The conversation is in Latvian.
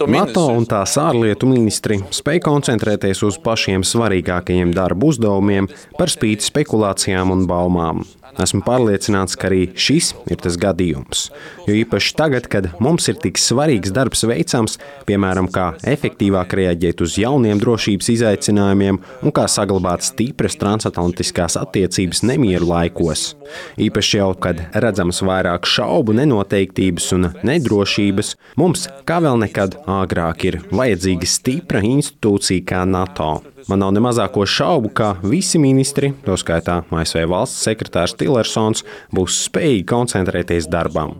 NATO un tās ārlietu ministri spēj koncentrēties uz pašiem svarīgākajiem darba uzdevumiem par spīti spekulācijām un baumām. Esmu pārliecināts, ka arī šis ir tas gadījums. Jo īpaši tagad, kad mums ir tik svarīgs darbs veicams, piemēram, kā efektīvāk reaģēt uz jauniem drošības izaicinājumiem un kā saglabāt stipras transatlantiskās attiecības nemieru laikos. Īpaši jau, kad redzams vairāk šaubu, nenoteiktības un nedrošības, mums, kā vēl nekad agrāk, ir vajadzīga stipra institūcija kā NATO. Man nav ne mazāko šaubu, ka visi ministri, to skaitā ASV valsts sekretārs Tillersons, būs spējīgi koncentrēties darbam.